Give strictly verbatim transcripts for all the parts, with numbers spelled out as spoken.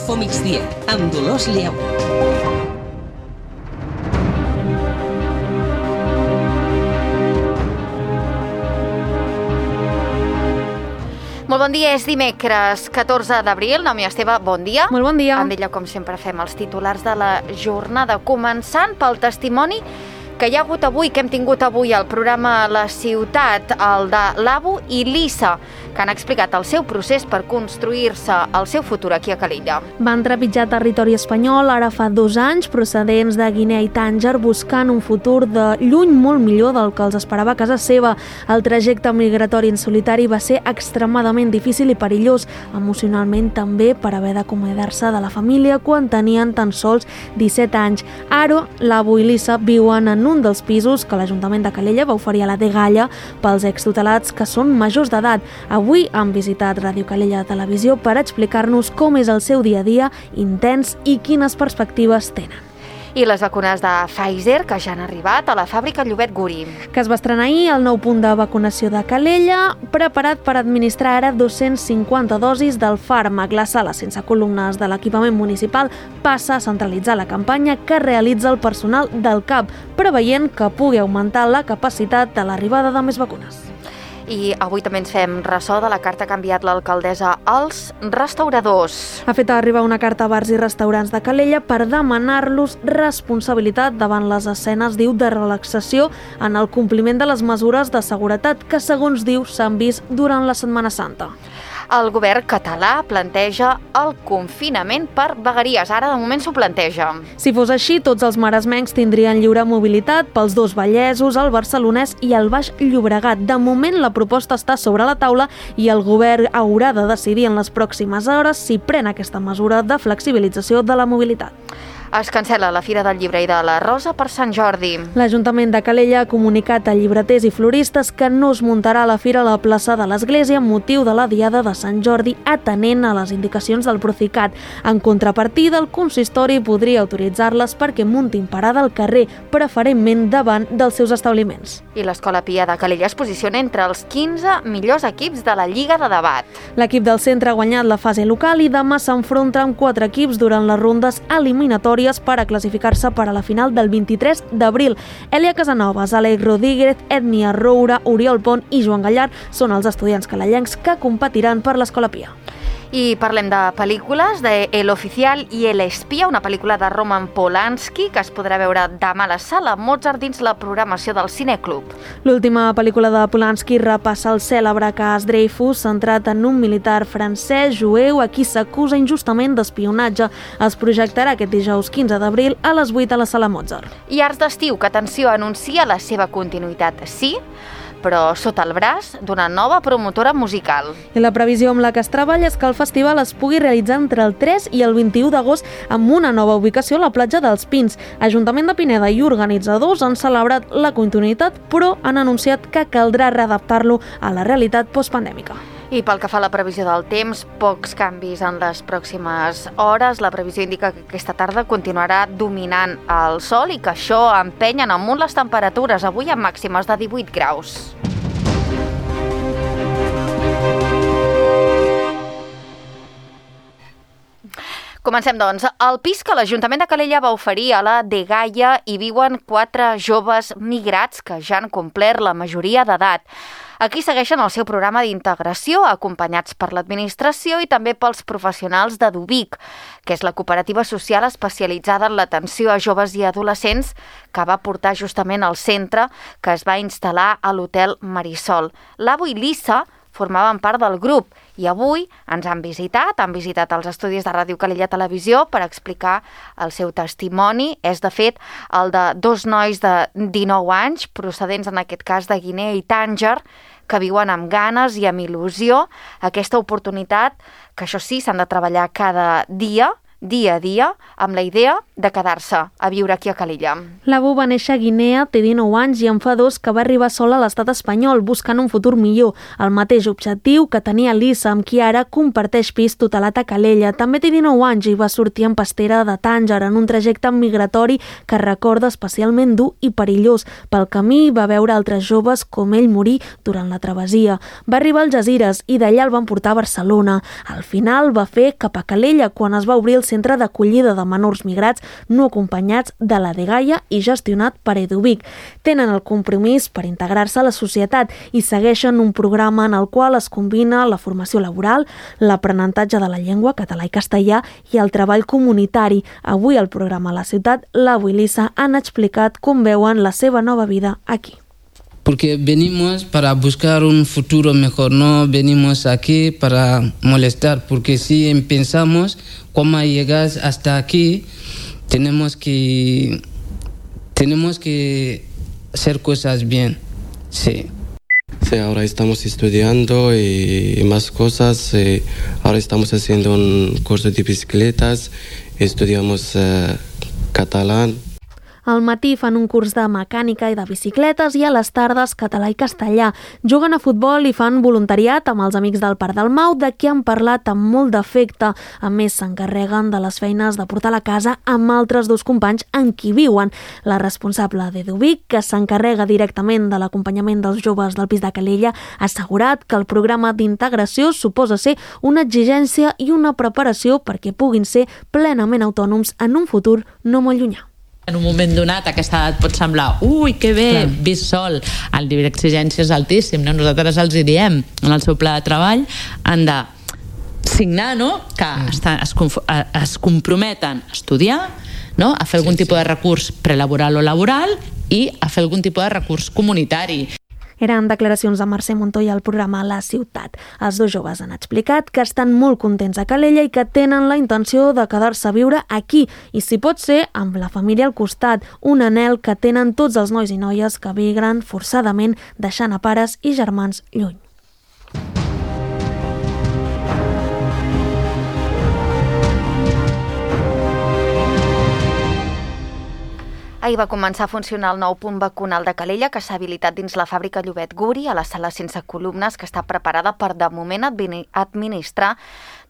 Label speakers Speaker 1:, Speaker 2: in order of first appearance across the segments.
Speaker 1: Info Migdia, amb Dolors Lleu.
Speaker 2: Molt bon dia, és dimecres catorze d'abril. Naomi Esteve, bon dia.
Speaker 3: Molt bon dia.
Speaker 2: Amb ella, com sempre, fem els titulars de la jornada, començant pel testimoni que hi ha hagut avui, que hem tingut avui al programa La Ciutat, el de l'Abu i l'Issa, que han explicat el seu procés per construir-se el seu futur aquí a Calella.
Speaker 3: Van trepitjar territori espanyol ara fa dos anys, procedents de Guinea i Tànger, buscant un futur de lluny molt millor del que els esperava a casa seva. El trajecte migratori en solitari va ser extremadament difícil i perillós, emocionalment també, per haver d'acomiadar-se de la família quan tenien tan sols disset anys. Ara, l'Abu i l'Issa viuen en un dels pisos que l'Ajuntament de Calella va oferir a la Dgaia pels extutelats que són majors d'edat. Avui han visitat Ràdio Calella Televisió per explicar-nos com és el seu dia a dia intens i quines perspectives tenen.
Speaker 2: I les vacunes de Pfizer, que ja han arribat a la fàbrica Llobet Guri.
Speaker 3: Que es va estrenar ahir el nou punt de vacunació de Calella, preparat per administrar ara dos-cents cinquanta dosis del fàrmac. La sala sense columnes de l'equipament municipal passa a centralitzar la campanya que realitza el personal del C A P, preveient que pugui augmentar la capacitat de l'arribada de més vacunes.
Speaker 2: I avui també ens fem ressò de la carta que ha enviat l'alcaldessa als restauradors.
Speaker 3: Ha fet arribar una carta a bars i restaurants de Calella per demanar-los responsabilitat davant les escenes, diu, de relaxació en el compliment de les mesures de seguretat que, segons diu, s'han vist durant la Setmana Santa.
Speaker 2: El govern català planteja el confinament per vegueries. Ara, de moment, s'ho planteja.
Speaker 3: Si fos així, tots els maresmencs tindrien lliure mobilitat pels dos Vallesos, el Barcelonès i el Baix Llobregat. De moment, la proposta està sobre la taula i el govern haurà de decidir en les pròximes hores si pren aquesta mesura de flexibilització de la mobilitat.
Speaker 2: Es cancel·la la Fira del Llibre i de la Rosa per Sant Jordi.
Speaker 3: L'Ajuntament de Calella ha comunicat a llibreters i floristes que no es muntarà la fira a la plaça de l'Església amb motiu de la Diada de Sant Jordi, atenent a les indicacions del Procicat. En contrapartida, el consistori podria autoritzar-les perquè muntin parada al carrer, preferentment davant dels seus establiments.
Speaker 2: I l'Escola Pia de Calella es posiciona entre els quinze millors equips de la Lliga de Debat.
Speaker 3: L'equip del centre ha guanyat la fase local i demà s'enfronta amb quatre equips durant les rondes eliminatòries per a classificar-se per a la final del vint-i-tres d'abril. Elia Casanovas, Àlex Rodríguez, Ètnia Roura, Oriol Pont i Joan Gallar són els estudiants calellencs que competiran per l'Escola Pia.
Speaker 2: I parlem de pel·lícules, de El Oficial i El Espia, una pel·lícula de Roman Polanski que es podrà veure demà a la sala Mozart dins la programació del Cineclub.
Speaker 3: L'última pel·lícula de Polanski repassa el cèlebre cas Dreyfus, centrat en un militar francès jueu a qui s'acusa injustament d'espionatge. Es projectarà aquest dijous quinze d'abril a les vuit a la sala Mozart.
Speaker 2: I Arts d'Estiu, que, atenció, anuncia la seva continuïtat, sí, però sota el braç d'una nova promotora musical.
Speaker 3: I la previsió amb la que es treballa és que el festival es pugui realitzar entre el tres i el vint-i-u d'agost amb una nova ubicació a la platja dels Pins. Ajuntament de Pineda i organitzadors han celebrat la continuïtat, però han anunciat que caldrà readaptar-lo a la realitat postpandèmica.
Speaker 2: I pel que fa a la previsió del temps, pocs canvis en les pròximes hores. La previsió indica que aquesta tarda continuarà dominant el sol i que això empenyen amunt les temperatures, avui amb màximes de divuit graus. Comencem, doncs. Al pis que l'Ajuntament de Calella va oferir a la Dgaia hi viuen quatre joves migrats que ja han complert la majoria d'edat. Aquí segueixen el seu programa d'integració, acompanyats per l'administració i també pels professionals de Dubic, que és la cooperativa social especialitzada en l'atenció a joves i adolescents que va portar justament al centre que es va instal·lar a l'Hotel Marisol. L'Abu i l'Issa formaven part del grup i avui ens han visitat, han visitat els estudis de Ràdio Calella Televisió per explicar el seu testimoni. És, de fet, el de dos nois de dinou anys, procedents en aquest cas de Guinea i Tànger, que viuen amb ganes i amb il·lusió aquesta oportunitat, que això sí, s'han de treballar cada dia, dia a dia amb la idea de quedar-se a viure aquí a Calella.
Speaker 3: L'Abu va néixer a Guinea, té dinou anys i en fa dos que va arribar sola a l'estat espanyol buscant un futur millor, el mateix objectiu que tenia Lisa, amb qui ara comparteix pis tutelat a Calella. També té dinou anys i va sortir en pastera de Tànger en un trajecte migratori que recorda especialment dur i perillós. Pel camí va veure altres joves com ell morir durant la travessia. Va arribar als Algesires i d'allà el van portar a Barcelona. Al final va fer cap a Calella quan es va obrir el centre d'acollida de menors migrats no acompanyats de la Dgaia i gestionat per Eduvic. Tenen el compromís per integrar-se a la societat i segueixen un programa en el qual es combina la formació laboral, l'aprenentatge de la llengua, català i castellà, i el treball comunitari. Avui al programa a la ciutat, l'Abu i Lisa han explicat com veuen la seva nova vida aquí.
Speaker 4: Porque venimos para buscar un futuro mejor, no venimos aquí para molestar, porque si pensamos cómo llegar hasta aquí, tenemos que, tenemos que hacer cosas bien, sí.
Speaker 5: Sí, ahora estamos estudiando y más cosas, eh, ahora estamos haciendo un curso de bicicletas, estudiamos eh, catalán.
Speaker 3: Al matí fan un curs de mecànica i de bicicletes i a les tardes català i castellà. Juguen a futbol i fan voluntariat amb els amics del Parc del Mau, de qui han parlat amb molt d'afecte. A més, s'encarreguen de les feines de portar la casa amb altres dos companys en qui viuen. La responsable d'Eduvic, que s'encarrega directament de l'acompanyament dels joves del pis de Calella, ha assegurat que el programa d'integració suposa ser una exigència i una preparació perquè puguin ser plenament autònoms en un futur no molt llunyà.
Speaker 6: En un moment donat, a aquesta edat pot semblar ui, que bé, Clar. vist sol, el nivell d'exigència és altíssim, no? Nosaltres els hi diem en el seu pla de treball han de signar, no? que mm. estan, es, es comprometen a estudiar, no? a fer algun sí, tipus sí. de recurs prelaboral o laboral i a fer algun tipus de recurs comunitari.
Speaker 3: Eren declaracions de Mercè Montoya al programa La Ciutat. Els dos joves han explicat que estan molt contents a Calella i que tenen la intenció de quedar-se a viure aquí i, si pot ser, amb la família al costat, un anhel que tenen tots els nois i noies que migren forçadament deixant a pares i germans lluny.
Speaker 2: Ahir va començar a funcionar el nou punt vacunal de Calella, que s'ha habilitat dins la fàbrica Llobet Guri, a la sala sense columnes, que està preparada per, de moment, administrar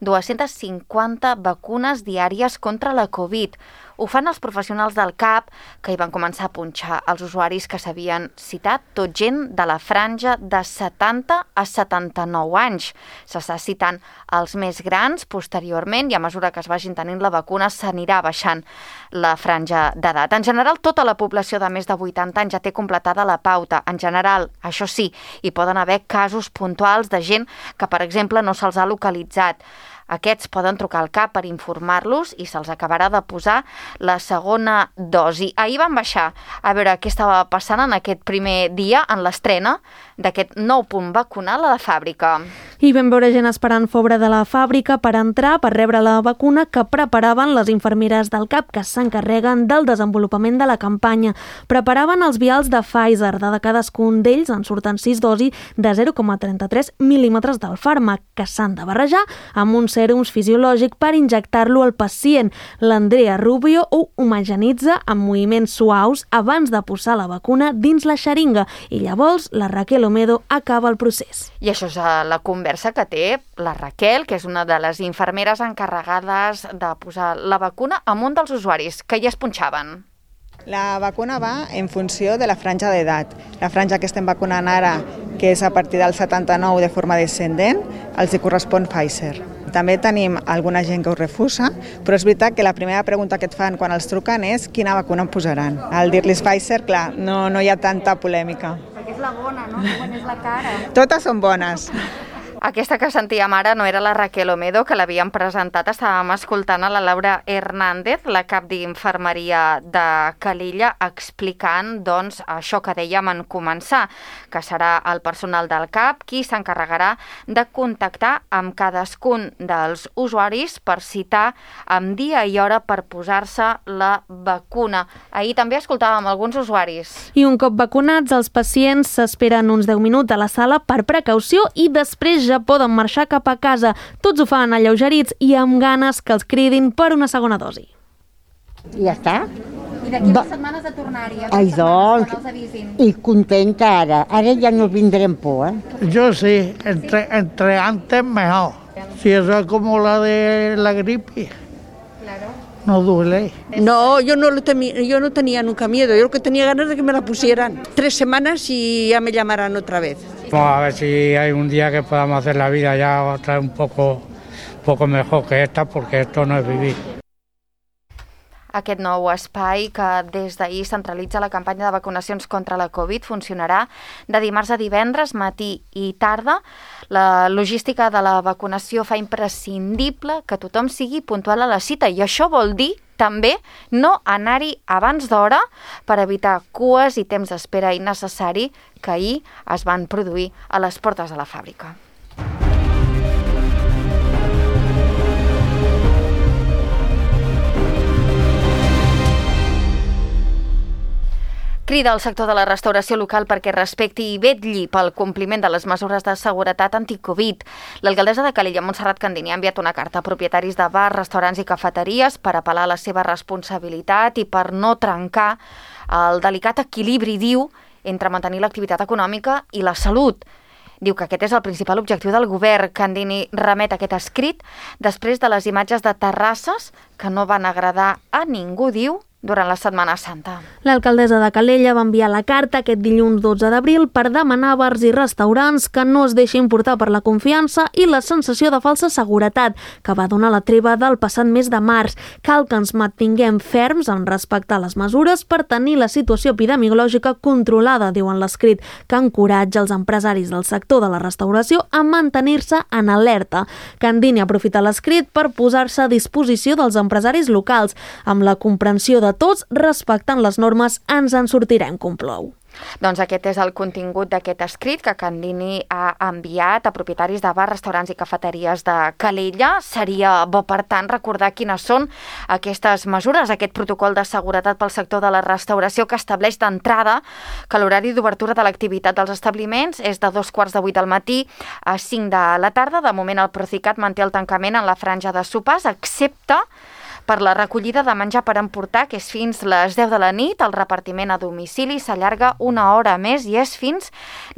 Speaker 2: dues-centes cinquanta vacunes diàries contra la Covid. Ho fan els professionals del C A P, que hi van començar a punxar els usuaris que s'havien citat, tot gent de la franja de setanta a setanta-nou anys. S'està citant els més grans posteriorment i a mesura que es vagin tenint la vacuna s'anirà baixant la franja d'edat. En general, tota la població de més de vuitanta anys ja té completada la pauta. En general, això sí, hi poden haver casos puntuals de gent que, per exemple, no se'ls ha localitzat. Aquests poden trucar al C A P per informar-los i se'ls acabarà de posar la segona dosi. Ahir van baixar a veure què estava passant en aquest primer dia, en l'estrena d'aquest nou punt vacunal a la fàbrica.
Speaker 3: I vam veure gent esperant fora de la fàbrica per entrar, per rebre la vacuna que preparaven les infermeres del C A P, que s'encarreguen del desenvolupament de la campanya. Preparaven els vials de Pfizer. De cadascun d'ells en surten sis dosis de zero coma trenta-tres mil·límetres del fàrmac, que s'han de barrejar amb un sèrums fisiològic per injectar-lo al pacient. L'Andrea Rubio ho homogenitza amb moviments suaus abans de posar la vacuna dins la xeringa i llavors la Raquel Omedo acaba el procés.
Speaker 2: I això és la conversa que té la Raquel, que és una de les infermeres encarregades de posar la vacuna amb un dels usuaris que ja es punxaven.
Speaker 7: La vacuna va en funció de la franja d'edat. La franja que estem vacunant ara, que és a partir del setanta-nou de forma descendent, els hi correspon Pfizer. També tenim alguna gent que ho refusa, però és veritat que la primera pregunta que et fan quan els truquen és quina vacuna em posaran. Al dir-los Pfizer, clar, no, no hi ha tanta polèmica.
Speaker 2: Perquè és la bona, no? Quan és la cara.
Speaker 7: Totes són bones.
Speaker 2: Aquesta que sentíem ara no era la Raquel Omedo, que l'havíem presentat. Estàvem escoltant a la Laura Hernández, la cap d'infermeria de Calella, explicant doncs, això que dèiem en començar, que serà el personal del C A P qui s'encarregarà de contactar amb cadascun dels usuaris per citar amb dia i hora per posar-se la vacuna. Ahir també escoltàvem alguns usuaris.
Speaker 3: I un cop vacunats, els pacients s'esperen uns deu minuts a la sala per precaució i després ja pluja poden marxar cap a casa. Tots ho fan alleugerits i amb ganes que els cridin per una segona dosi.
Speaker 8: I ja està.
Speaker 2: I d'aquí unes setmanes de tornar-hi,
Speaker 8: Ai, doncs, i contenta ara. Ara ja no vindrem por, eh?
Speaker 9: Yo sí, entre, entre antes mejor. Si eso es como la de la gripe, claro. No duele.
Speaker 10: No, yo no, lo temía, yo no tenía nunca miedo, yo lo que tenía ganas de que me la pusieran. Tres semanas y ya me llamarán otra vez.
Speaker 9: Vamos a ver si hay un día que podamos hacer la vida ya otra vez un poco, un poco mejor que esta, porque esto no es vivir.
Speaker 2: Aquest nou espai, que des d'ahir centralitza la campanya de vacunacions contra la Covid, funcionarà de dimarts a divendres, matí i tarda. La logística de la vacunació fa imprescindible que tothom sigui puntual a la cita, i això vol dir també no anar-hi abans d'hora per evitar cues i temps d'espera innecessari que ahir es van produir a les portes de la fàbrica. Crida al sector de la restauració local perquè respecti i vetlli pel compliment de les mesures de seguretat anticovid. L'alcaldessa de Calella, Montserrat Candini, ha enviat una carta a propietaris de bars, restaurants i cafeteries per apel·lar a la seva responsabilitat i per no trencar el delicat equilibri, diu, entre mantenir l'activitat econòmica i la salut. Diu que aquest és el principal objectiu del govern. Candini remet aquest escrit després de les imatges de terrasses que no van agradar a ningú, diu, durant la Setmana Santa.
Speaker 3: L'alcaldessa de Calella va enviar la carta aquest dilluns dotze d'abril per demanar a bars i restaurants que no es deixin portar per la confiança i la sensació de falsa seguretat que va donar la treva del passat mes de març. Cal que ens mantinguem ferms en respectar les mesures per tenir la situació epidemiològica controlada, diuen l'escrit, que encoratja els empresaris del sector de la restauració a mantenir-se en alerta. Candini aprofita l'escrit per posar-se a disposició dels empresaris locals, amb la comprensió de tots, respectant les normes, ens en sortirem, conclou.
Speaker 2: Doncs aquest és el contingut d'aquest escrit que Candini ha enviat a propietaris de bars, restaurants i cafeteries de Calella. Seria bo, per tant, recordar quines són aquestes mesures, aquest protocol de seguretat pel sector de la restauració que estableix d'entrada que l'horari d'obertura de l'activitat dels establiments és de dos quarts de vuit del matí a cinc de la tarda. De moment el Procicat manté el tancament en la franja de sopars, excepte per la recollida de menjar per emportar, que és fins les deu de la nit. El repartiment a domicili s'allarga una hora més i és fins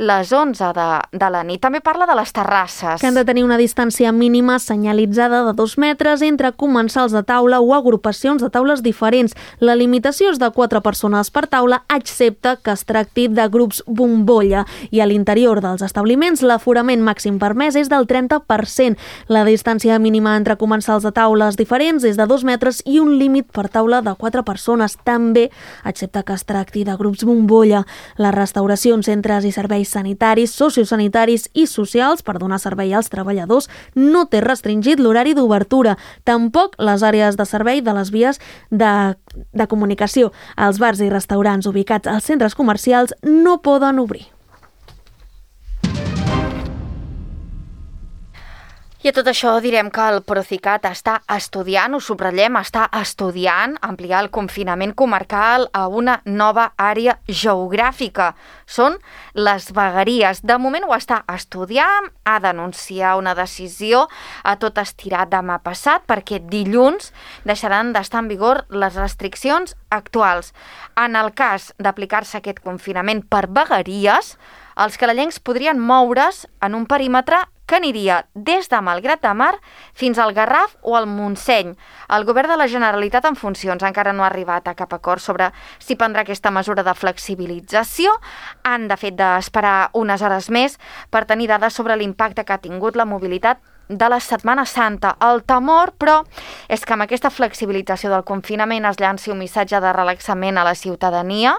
Speaker 2: les onze de, de la nit. També parla de les terrasses.
Speaker 3: Que han de tenir una distància mínima senyalitzada de dos metres entre comensals de taula o agrupacions de taules diferents. La limitació és de quatre persones per taula, excepte que es tracti de grups bombolla. I a l'interior dels establiments l'aforament màxim permès és del trenta per cent. La distància mínima entre comensals de taules diferents és de dos metres i un límit per taula de quatre persones, també, excepte que es tracti de grups bombolla. La restauració en centres i serveis sanitaris, sociosanitaris i socials per donar servei als treballadors no té restringit l'horari d'obertura, tampoc les àrees de servei de les vies de, de comunicació. Els bars i restaurants ubicats als centres comercials no poden obrir.
Speaker 2: I a tot això direm que el Procicat està estudiant, ho subratllem, està estudiant ampliar el confinament comarcal a una nova àrea geogràfica. Són les vegueries. De moment ho està estudiant, ha d'anunciar una decisió a tot estirar demà passat perquè dilluns deixaran d'estar en vigor les restriccions actuals. En el cas d'aplicar-se aquest confinament per vegueries, els calellencs podrien moure's en un perímetre que aniria des de Malgrat de Mar fins al Garraf o al Montseny. El govern de la Generalitat en funcions encara no ha arribat a cap acord sobre si prendrà aquesta mesura de flexibilització. Han, de fet, d'esperar unes hores més per tenir dades sobre l'impacte que ha tingut la mobilitat de la Setmana Santa. El temor, però, és que amb aquesta flexibilització del confinament es llanci un missatge de relaxament a la ciutadania,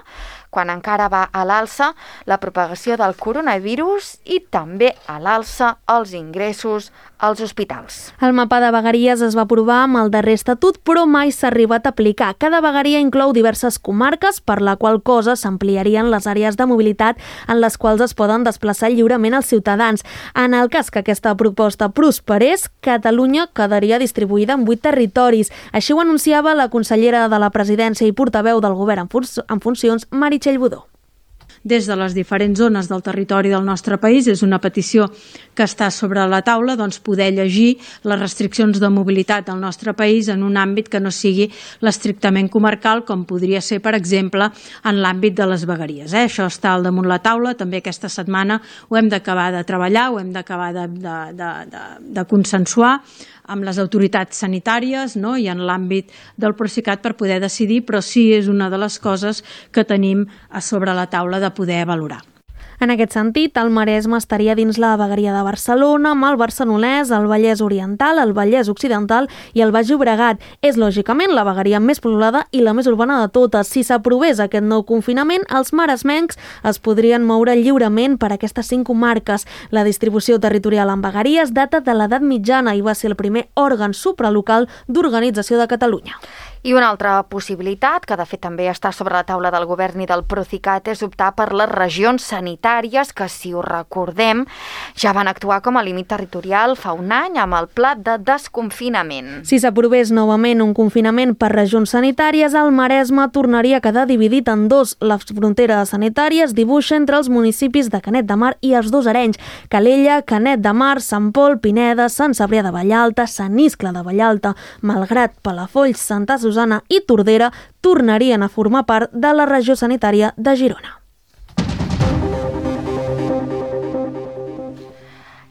Speaker 2: quan encara va a l'alça la propagació del coronavirus i també a l'alça els ingressos als hospitals.
Speaker 3: El mapa de vegueries es va aprovar amb el darrer estatut, però mai s'ha arribat a aplicar. Cada vegueria inclou diverses comarques, per la qual cosa s'ampliarien les àrees de mobilitat en les quals es poden desplaçar lliurement els ciutadans. En el cas que aquesta proposta prosperés, Catalunya quedaria distribuïda en vuit territoris. Així ho anunciava la consellera de la Presidència i portaveu del Govern en funcions, Meritxell Budó.
Speaker 11: des de les diferents zones del territori del nostre país. És una petició que està sobre la taula, doncs poder llegir les restriccions de mobilitat al nostre país en un àmbit que no sigui l'estrictament comarcal, com podria ser, per exemple, en l'àmbit de les vegueries. Eh? Això està al damunt la taula, també aquesta setmana ho hem d'acabar de treballar, ho hem d'acabar de, de, de, de, de consensuar amb les autoritats sanitàries, no? I en l'àmbit del Procicat per poder decidir, però sí és una de les coses que tenim a sobre la taula de poder valorar.
Speaker 3: En aquest sentit, el Maresme estaria dins la vegueria de Barcelona, amb el Barcelonès, el Vallès Oriental, el Vallès Occidental i el Baix Llobregat. És, lògicament, la vegueria més poblada i la més urbana de totes. Si s'aprovés aquest nou confinament, els maresmencs es podrien moure lliurement per aquestes cinc comarques. La distribució territorial en vegueries data de l'edat mitjana i va ser el primer òrgan supralocal d'organització de Catalunya.
Speaker 2: I una altra possibilitat, que de fet també està sobre la taula del govern i del Procicat, és optar per les regions sanitàries que, si ho recordem, ja van actuar com a límit territorial fa un any amb el pla de desconfinament.
Speaker 3: Si s'aprovés novament un confinament per regions sanitàries, el Maresme tornaria a quedar dividit en dos. La frontera sanitària es dibuixa entre els municipis de Canet de Mar i els dos Arenys, Calella, Canet de Mar, Sant Pol, Pineda, Sant Cebrià de Vallalta, Sant Iscle de Vallalta, Malgrat, Palafolls, Santa Susana i Tordera tornarien a formar part de la regió sanitària de Girona.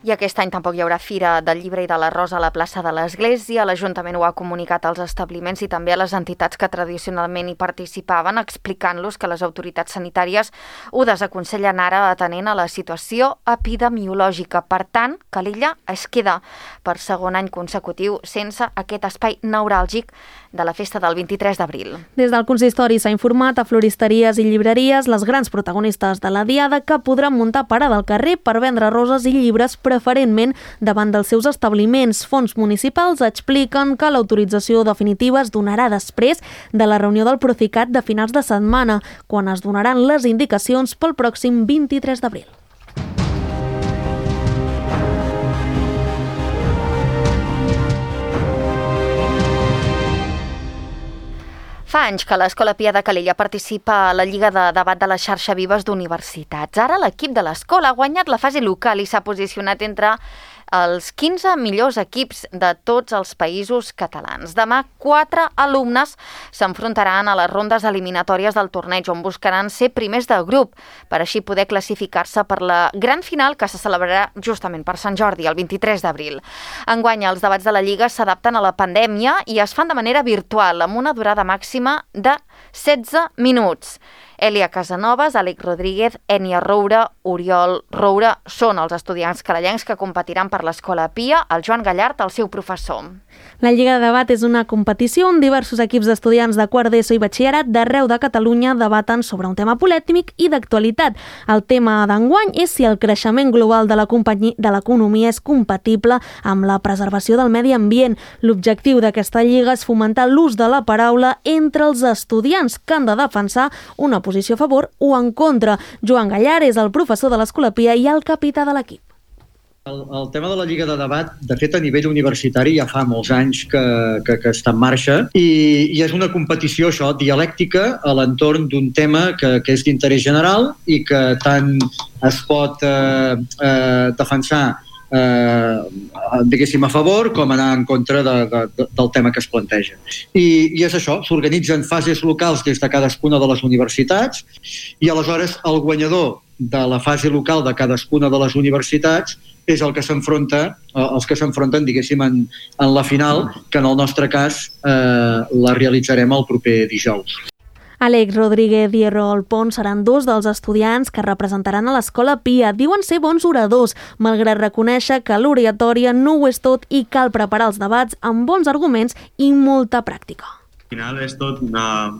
Speaker 2: I aquest any tampoc hi haurà Fira del Llibre i de l'Arròs a la plaça de l'Església. L'Ajuntament ho ha comunicat als establiments i també a les entitats que tradicionalment hi participaven, explicant-los que les autoritats sanitàries ho desaconsellen ara atenent a la situació epidemiològica. Per tant, Calella es queda per segon any consecutiu sense aquest espai neuràlgic de la festa del vint-i-tres d'abril.
Speaker 3: Des del consistori s'ha informat a floristeries i llibreries, les grans protagonistes de la diada, que podran muntar parada al carrer per vendre roses i llibres preferentment davant dels seus establiments. Fons municipals expliquen que l'autorització definitiva es donarà després de la reunió del Procicat de finals de setmana, quan es donaran les indicacions pel pròxim vint-i-tres d'abril.
Speaker 2: Fa anys que l'Escola Pia de Calella participa a la Lliga de Debat de la Xarxa Vives d'Universitats. Ara l'equip de l'escola ha guanyat la fase local i s'ha posicionat entre els quinze millors equips de tots els països catalans. Demà, quatre alumnes s'enfrontaran a les rondes eliminatòries del torneig, on buscaran ser primers del grup, per així poder classificar-se per la gran final que se celebrarà justament per Sant Jordi, el vint-i-tres d'abril. Enguany, els debats de la Lliga s'adapten a la pandèmia i es fan de manera virtual, amb una durada màxima de setze minuts. Elia Casanovas, Àlex Rodríguez, Ènia Roura, Oriol Roura són els estudiants calellencs que competiran per l'Escola Pia, el Joan Gallart, el seu professor.
Speaker 3: La Lliga de Debat és una competició on diversos equips d'estudiants de quart d'ESO i batxillerat d'arreu de Catalunya debaten sobre un tema polèmic i d'actualitat. El tema d'enguany és si el creixement global de l'economia és compatible amb la preservació del medi ambient. L'objectiu d'aquesta lliga és fomentar l'ús de la paraula entre els estudiants que han de defensar una posició a favor o en contra. Joan Gallart és el professor de l'Escola Pia i el capità de l'equip.
Speaker 12: El, el tema de la Lliga de Debat, de fet, a nivell universitari ja fa molts anys que, que, que està en marxa i, i és una competició, això, dialèctica a l'entorn d'un tema que, que és d'interès general i que tant es pot eh, eh, defensar eh, diguéssim a favor com anar en contra de, de, del tema que es planteja. I, i és això, s'organitzen fases locals des de cadascuna de les universitats i aleshores el guanyador de la fase local de cadascuna de les universitats és el que s'enfronta, els que s'enfronten, diguéssim, en, en la final, que en el nostre cas eh, la realitzarem el proper dijous.
Speaker 3: Àlex Rodríguez i Errol Pons seran dos dels estudiants que representaran a l'Escola Pia. Diuen ser bons oradors, malgrat reconèixer que l'oratòria no ho és tot i cal preparar els debats amb bons arguments i molta pràctica.
Speaker 13: Al final és tot una...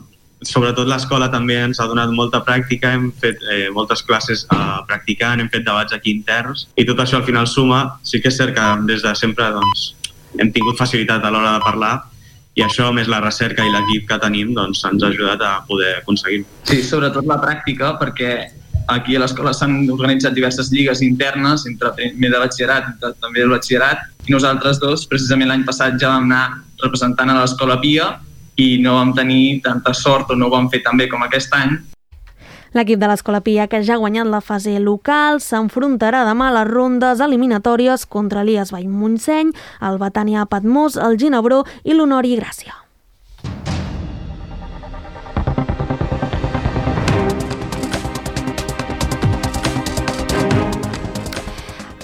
Speaker 13: Sobretot l'escola també ens ha donat molta pràctica, hem fet eh, moltes classes eh, practicant, hem fet debats aquí interns i tot això al final suma. Sí que és cert que des de sempre doncs, hem tingut facilitat a l'hora de parlar i això, més la recerca i l'equip que tenim, doncs, ens ha ajudat a poder aconseguir.
Speaker 14: Sí, sobretot la pràctica, perquè aquí a l'escola s'han organitzat diverses lligues internes entre primer de batxillerat i també del batxillerat i nosaltres dos, precisament l'any passat, ja vam anar representant a l'Escola Pia i no vam tenir tanta sort o no ho vam fer tan bé com aquest any.
Speaker 3: L'equip de l'Escola Pia, que ja ha guanyat la fase local, s'enfrontarà demà a les rondes eliminatòries contra l'I A S Vall Montseny, el Betània Patmos, el Ginebró i l'Honori Gràcia.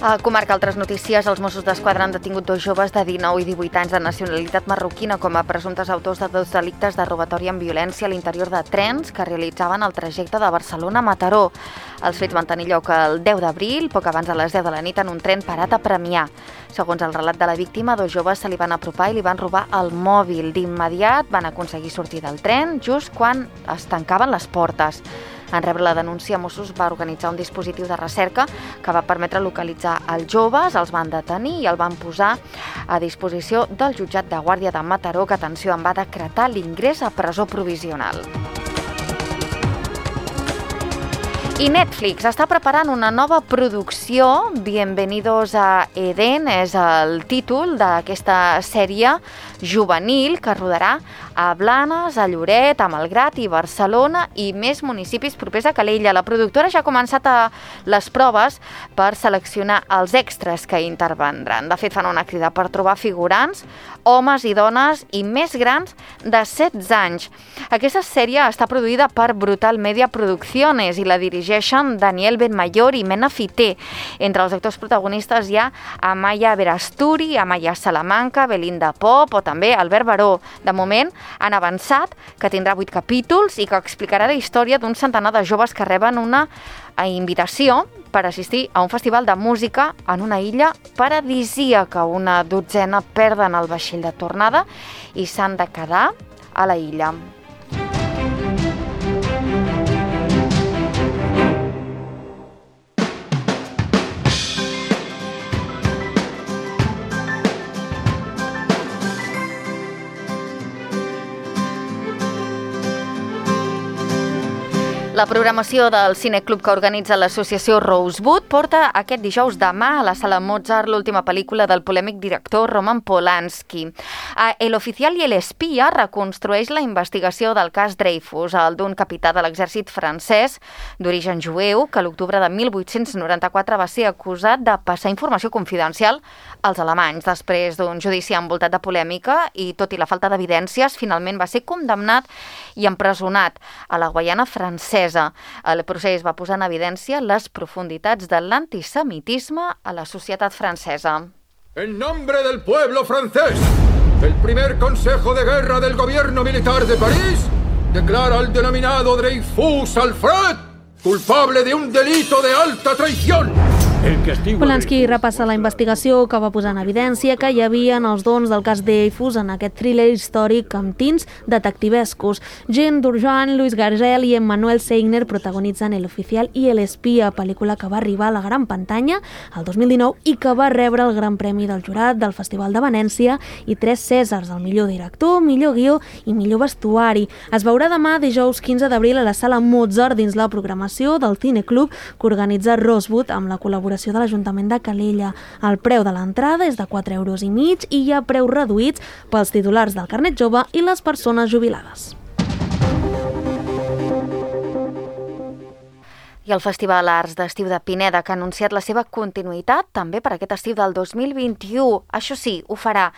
Speaker 2: A comarca altres notícies, els Mossos d'Esquadra han detingut dos joves de dinou i divuit anys de nacionalitat marroquina com a presumptes autors de dos delictes de robatori amb violència a l'interior de trens que realitzaven el trajecte de Barcelona a Mataró. Els fets van tenir lloc el deu d'abril, poc abans de les deu de la nit, en un tren parat a Premià. Segons el relat de la víctima, dos joves se li van apropar i li van robar el mòbil. D'immediat van aconseguir sortir del tren just quan es tancaven les portes. En rebre la denúncia, Mossos va organitzar un dispositiu de recerca que va permetre localitzar els joves, els van detenir i el van posar a disposició del jutjat de Guàrdia de Mataró, que, atenció, en va decretar l'ingrés a presó provisional. I Netflix està preparant una nova producció, Bienvenidos a Eden, és el títol d'aquesta sèrie juvenil que rodarà a Blanes, a Lloret, a Malgrat i Barcelona i més municipis propers a Calella. La productora ja ha començat a les proves per seleccionar els extras que intervendran. De fet, fan una crida per trobar figurants, homes i dones i més grans de setze anys. Aquesta sèrie està produïda per Brutal Media Producciones i la dirigeixen Daniel Benmayor i Mena Fité. Entre els actors protagonistes hi ha Amaya Verasturi, Amaya Salamanca, Belinda Pop o també Albert Baró. De moment, han avançat que tindrà vuit capítols i que explicarà la història d'un centenar de joves que reben una invitació per assistir a un festival de música en una illa paradisíaca. Una dotzena perden el vaixell de tornada i s'han de quedar a la illa. La programació del cineclub que organitza l'associació Rosewood porta aquest dijous demà a la Sala Mozart l'última pel·lícula del polèmic director Roman Polanski. El oficial i el espia reconstrueix la investigació del cas Dreyfus, el d'un capità de l'exèrcit francès d'origen jueu que l'octubre de mil vuit-cents noranta-quatre va ser acusat de passar informació confidencial als alemanys. Després d'un judici envoltat de polèmica i tot i la falta d'evidències, finalment va ser condemnat i empresonat a la Guaiana francesa. El procés va posar en evidència les profunditats de l'antisemitisme a la societat francesa.
Speaker 15: En nombre del pueblo francés, el primer Consejo de Guerra del Gobierno Militar de París declara al denominado Dreyfus Alfred culpable de un delito de alta traición.
Speaker 3: Polanski repassa la investigació que va posar en evidència que hi havia els dons del cas Dreyfus en aquest thriller històric amb tints detectivescos. Jean Durjan, Luis Gargel i Emmanuel Seigner protagonitzen El oficial i el espia, pel·lícula que va arribar a la gran pantalla el dos mil dinou i que va rebre el Gran Premi del Jurat del Festival de Venècia i tres Cèsars, el millor director, millor guió i millor vestuari. Es veurà demà, dijous quinze d'abril, a la Sala Mozart dins la programació del cineclub que organitza Rosewood amb la col·laboració de l'Ajuntament de Calella. El preu de l'entrada és de quatre euros i mig i hi ha preus reduïts pels titulars del carnet jove i les persones jubilades.
Speaker 2: I el Festival Arts d'Estiu de Pineda, que ha anunciat la seva continuïtat també per aquest estiu del dos mil vint-i-u. Això sí, ho farà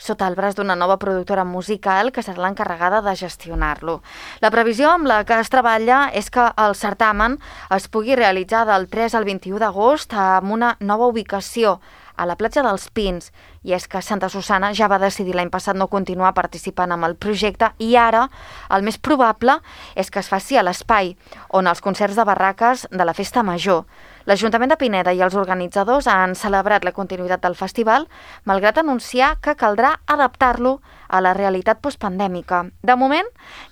Speaker 2: sota el braç d'una nova productora musical que serà l'encarregada de gestionar-lo. La previsió amb la que es treballa és que el certamen es pugui realitzar del tres al vint-i-u d'agost amb una nova ubicació a la platja dels Pins, i és que Santa Susana ja va decidir l'any passat no continuar participant amb el projecte i ara el més probable és que es faci a l'espai on els concerts de barraques de la Festa Major. L'Ajuntament de Pineda i els organitzadors han celebrat la continuïtat del festival, malgrat anunciar que caldrà adaptar-lo a la realitat postpandèmica. De moment,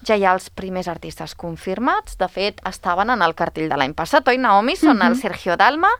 Speaker 2: ja hi ha els primers artistes confirmats. De fet, estaven en el cartell de l'any passat, oi, Naomi? Són uh-huh. el Sergio Dalma,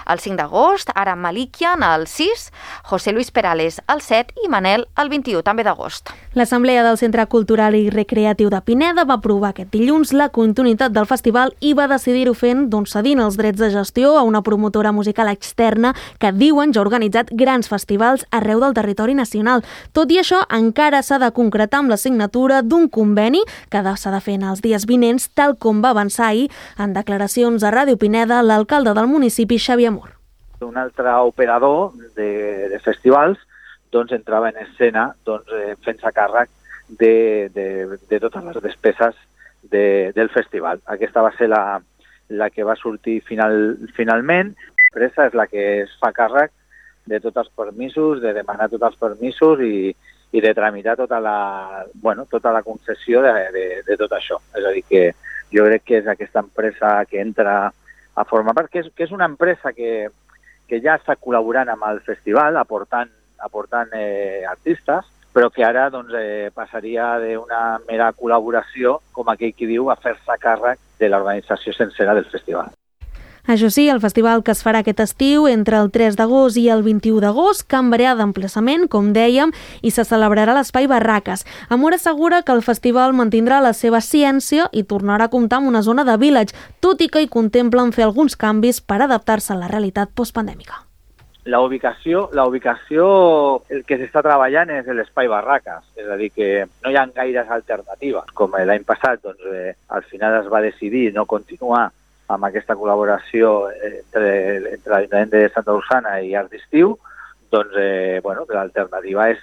Speaker 2: el cinc d'agost, ara Malikian, el sis, José Luis Pérez Perales el set i Manel el vint-i-u, també d'agost.
Speaker 3: L'Assemblea del Centre Cultural i Recreatiu de Pineda va aprovar aquest dilluns la continuïtat del festival i va decidir-ho fent doncs, cedint els drets de gestió a una promotora musical externa que diuen ja ha organitzat grans festivals arreu del territori nacional. Tot i això, encara s'ha de concretar amb la signatura d'un conveni que s'ha de fer en els dies vinents, tal com va avançar ahir en declaracions a Ràdio Pineda l'alcalde del municipi, Xavier Mur.
Speaker 16: Un altre operador de, de festivals doncs, entrava en escena doncs, eh, fent-se càrrec de, de, de totes les despeses de, del festival. Aquesta va ser la, la que va sortir final, finalment. L'empresa és la que es fa càrrec de tots els permisos, de demanar tots els permisos i, i de tramitar tota la, bueno, tota la concessió de, de, de tot això. És a dir, que jo crec que és aquesta empresa que entra a formar part, que és, que és una empresa que que ja està col·laborant amb el festival, aportant, aportant eh, artistes, però que ara doncs, eh, passaria d'una mera col·laboració, com aquell qui diu, a fer-se càrrec de l'organització sencera del festival.
Speaker 3: Això sí, el festival que es farà aquest estiu entre el tres d'agost i el vint-i-u d'agost canviarà d'emplaçament, com dèiem, i se celebrarà a l'Espai Barraques. Amor assegura que el festival mantindrà la seva ciència i tornarà a comptar amb una zona de village, tot i que hi contemplen fer alguns canvis per adaptar-se a la realitat postpandèmica.
Speaker 16: La ubicació, la ubicació, el que s'està treballant és l'Espai Barraques, és a dir, que no hi ha gaires alternatives. Com l'any passat, doncs, eh, al final es va decidir no continuar amb aquesta col·laboració entre, entre l'Ajuntament de Santa Usana i Arts d'Estiu, doncs eh, bueno, l'alternativa és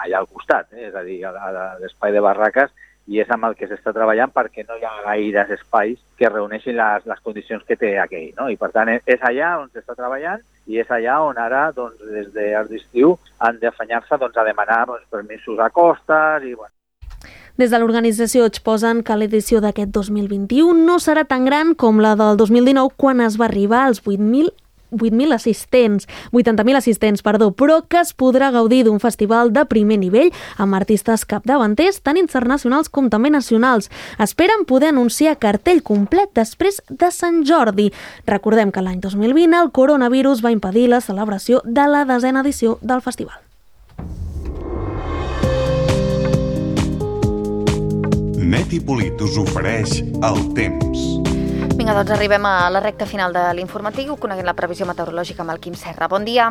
Speaker 16: allà al costat, eh? És a dir, a, a l'espai de Barraques, i és amb el que s'està treballant perquè no hi ha gaires espais que reuneixin les, les condicions que té aquell, no? I per tant és allà on s'està treballant i és allà on ara, doncs, des d'Arts d'Estiu han d'afanyar-se doncs, a demanar doncs, permisos a costes i bueno.
Speaker 3: Des de l'organització exposen que l'edició d'aquest dos mil vint-i-u no serà tan gran com la del dos mil dinou, quan es va arribar als vuit mil assistents, vuitanta mil assistents, perdó, però que es podrà gaudir d'un festival de primer nivell amb artistes capdavanters, tant internacionals com també nacionals. Esperen poder anunciar cartell complet després de Sant Jordi. Recordem que l'any dos mil vint el coronavirus va impedir la celebració de la desena edició del festival.
Speaker 17: Neti Polit us ofereix el temps.
Speaker 2: Vinga, doncs arribem a la recta final de l'informatiu, coneguent la previsió meteorològica amb el Quim Serra. Bon dia.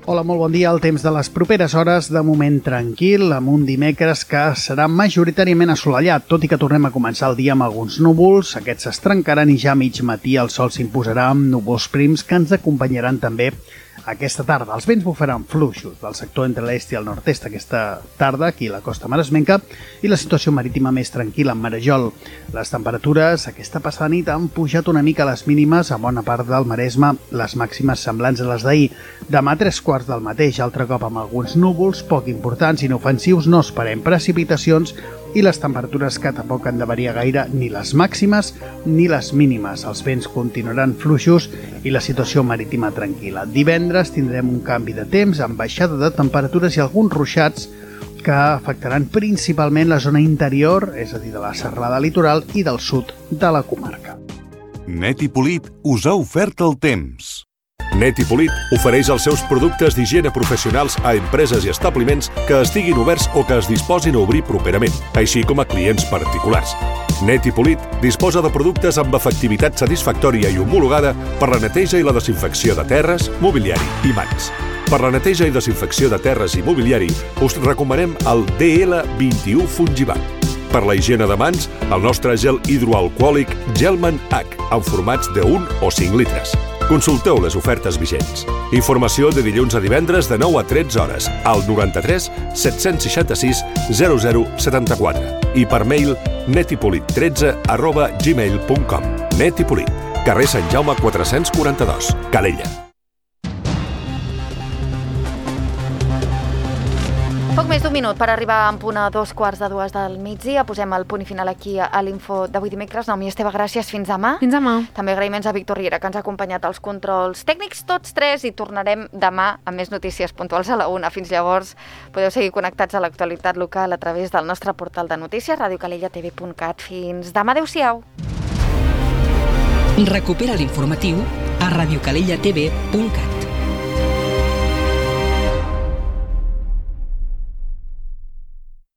Speaker 18: Hola, molt bon dia. El temps de les properes hores, de moment tranquil, amb un dimecres que serà majoritàriament assolellat, tot i que tornem a començar el dia amb alguns núvols. Aquests s'estrencaran i ja a mig matí el sol s'imposarà amb núvols prims que ens acompanyaran també aquesta tarda. Els vents bufaran fluixos del sector entre l'est i el nord-est aquesta tarda, aquí a la costa maresmenca, i la situació marítima més tranquil·la en Marejol. Les temperatures aquesta passada nit han pujat una mica les mínimes a bona part del Maresme, les màximes semblants a les d'ahir. Demà tres quarts del mateix, altre cop amb alguns núvols poc importants i inofensius, no esperem precipitacions i les temperatures que tampoc han de variar gaire ni les màximes ni les mínimes. Els vents continuaran fluixos i la situació marítima tranquil·la. Divendres tindrem un canvi de temps amb baixada de temperatures i alguns ruixats que afectaran principalment la zona interior, és a dir, de la serralada litoral i del sud de la comarca.
Speaker 17: Neti Polit us ha ofert el temps.
Speaker 19: Neti Polit ofereix els seus productes d'higiene professionals a empreses i establiments que estiguin oberts o que es disposin a obrir properament, així com a clients particulars. Neti Polit disposa de productes amb efectivitat satisfactòria i homologada per la neteja i la desinfecció de terres, mobiliari i mans. Per la neteja i desinfecció de terres i mobiliari us recomanem el D L vint-i-u Fungibat. Per la higiene de mans, el nostre gel hidroalcohòlic Gelman H, en formats de un o cinc litres. Consulteu les ofertes vigents. Informació de dilluns a divendres de nou a tretze hores al noranta-tres set-cents seixanta-sis zero zero setanta-quatre i per mail netipolit tretze arroba gmail punt com. Netipolit, carrer Sant Jaume quatre-cents quaranta-dos, Calella.
Speaker 2: Poc més d'un minut per arribar en punt a dos quarts de dues del migdia. Posem el punt i final aquí a l'info d'avui dimecres. Naomi Esteve, gràcies. Fins demà.
Speaker 3: Fins demà.
Speaker 2: També agraïments a Víctor Riera, que ens ha acompanyat als controls tècnics, tots tres, i tornarem demà amb més notícies puntuals a la una. Fins llavors, podeu seguir connectats a l'actualitat local a través del nostre portal de notícies, radio calella t v punt cat. Fins demà. Adéu-siau.
Speaker 1: Recupera l'informatiu a radio calella t v punt cat.